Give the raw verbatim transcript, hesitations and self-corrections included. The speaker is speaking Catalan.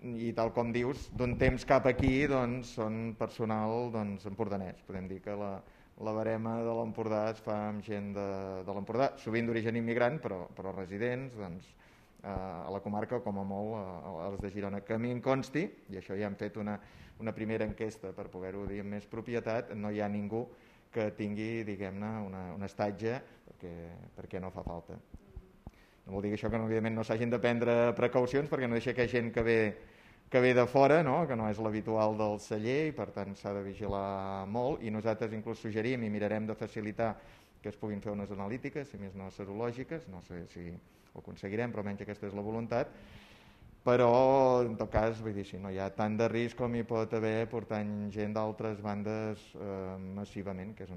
i tal com dius, d'un temps cap aquí doncs, són personal doncs, empordanès. Podem dir que la, la barema de l'Empordà es fa amb gent de, de l'Empordà, sovint d'origen immigrant, però, però residents doncs, a la comarca, com a molt a les de Girona. Que a mi em consti, i això ja hem fet una, una primera enquesta per poder-ho dir amb més propietat, no hi ha ningú que tingui, diguem-ne, una, un estatge perquè, perquè no fa falta. No vol dir això que no, evidentment no s'hagin de prendre precaucions, perquè no deixa que hi ha gent que ve, que ve de fora, no? Que no és l'habitual del celler, i per tant s'ha de vigilar molt, i nosaltres inclús suggerim i mirarem de facilitar que es puguin fer unes analítiques, si més no serològiques, no sé si ho aconseguirem, però almenys aquesta és la voluntat. Però en tot cas, vull dir, si no hi ha tant de risc com hi pot haver portant gent d'altres bandes eh, massivament, que és